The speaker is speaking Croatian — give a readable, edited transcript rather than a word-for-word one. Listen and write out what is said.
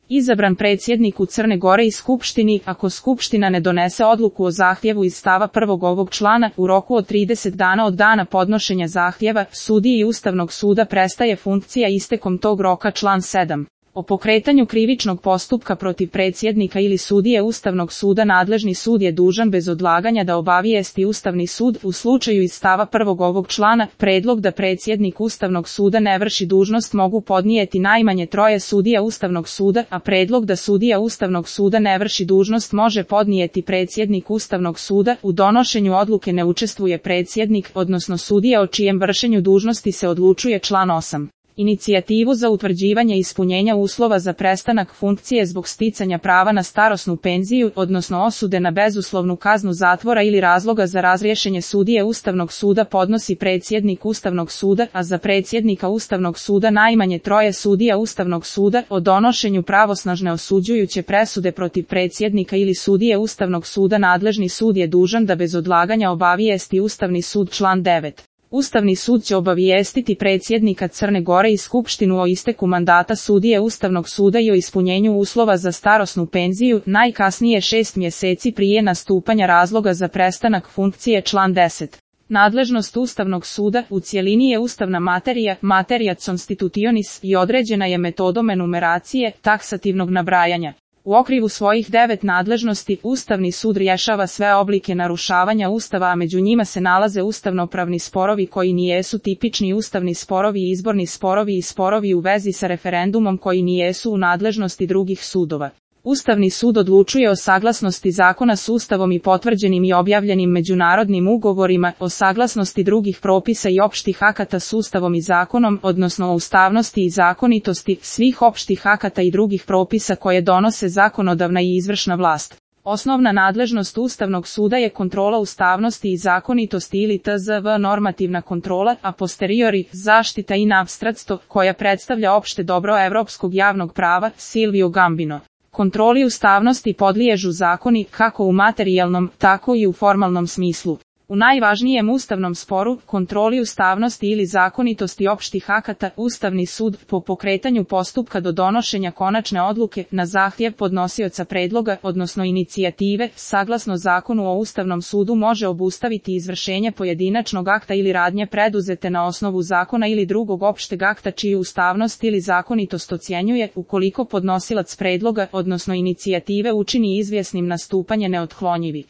Izabran predsjednik u Crne Gore i Skupštini, ako Skupština ne donese odluku o zahtjevu iz stava 1. ovog člana, u roku od 30 dana od dana podnošenja zahtjeva, sudiji Ustavnog suda prestaje funkcija istekom tog roka. Član 7. O pokretanju krivičnog postupka protiv predsjednika ili sudije Ustavnog suda nadležni sud je dužan bez odlaganja da obavijesti Ustavni sud u slučaju iz stava 1. ovog člana. Predlog da predsjednik Ustavnog suda ne vrši dužnost mogu podnijeti najmanje 3 sudija Ustavnog suda, a predlog da sudija Ustavnog suda ne vrši dužnost može podnijeti predsjednik Ustavnog suda. U donošenju odluke ne učestvuje predsjednik, odnosno sudija o čijem vršenju dužnosti se odlučuje. Član 8. Inicijativu za utvrđivanje ispunjenja uslova za prestanak funkcije zbog sticanja prava na starosnu penziju, odnosno osude na bezuslovnu kaznu zatvora ili razloga za razrješenje sudije Ustavnog suda podnosi predsjednik Ustavnog suda, a za predsjednika Ustavnog suda najmanje 3 sudija Ustavnog suda. O donošenju pravosnažne osuđujuće presude protiv predsjednika ili sudije Ustavnog suda nadležni sud je dužan da bez odlaganja obavijesti Ustavni sud. Član 9. Ustavni sud će obavijestiti predsjednika Crne Gore i Skupštinu o isteku mandata sudije Ustavnog suda i o ispunjenju uslova za starosnu penziju, najkasnije 6 mjeseci prije nastupanja razloga za prestanak funkcije. Član 10. Nadležnost Ustavnog suda u cjelini je ustavna materija, materia constitutionis, i određena je metodom enumeracije, taksativnog nabrajanja. U okviru svojih 9 nadležnosti, Ustavni sud rješava sve oblike narušavanja Ustava, a među njima se nalaze ustavnopravni sporovi koji nijesu tipični ustavni sporovi, izborni sporovi i sporovi u vezi sa referendumom koji nijesu u nadležnosti drugih sudova. Ustavni sud odlučuje o saglasnosti zakona s Ustavom i potvrđenim i objavljenim međunarodnim ugovorima, o saglasnosti drugih propisa i opštih akata s Ustavom i zakonom, odnosno o ustavnosti i zakonitosti svih opštih akata i drugih propisa koje donose zakonodavna i izvršna vlast. Osnovna nadležnost Ustavnog suda je kontrola ustavnosti i zakonitosti ili tzv. Normativna kontrola, a posteriori zaštita in abstracto, koja predstavlja opšte dobro evropskog javnog prava. Silvio Gambino. Kontroli ustavnosti podliježu zakoni, kako u materijalnom, tako i u formalnom smislu. U najvažnijem ustavnom sporu, kontroli ustavnosti ili zakonitosti opštih akata, Ustavni sud, po pokretanju postupka do donošenja konačne odluke, na zahtjev podnosioca predloga, odnosno inicijative, saglasno Zakonu o Ustavnom sudu može obustaviti izvršenje pojedinačnog akta ili radnje preduzete na osnovu zakona ili drugog opšteg akta čiju ustavnost ili zakonitost ocjenjuje, ukoliko podnosilac predloga, odnosno inicijative učini izvjesnim nastupanje neotklonjivi.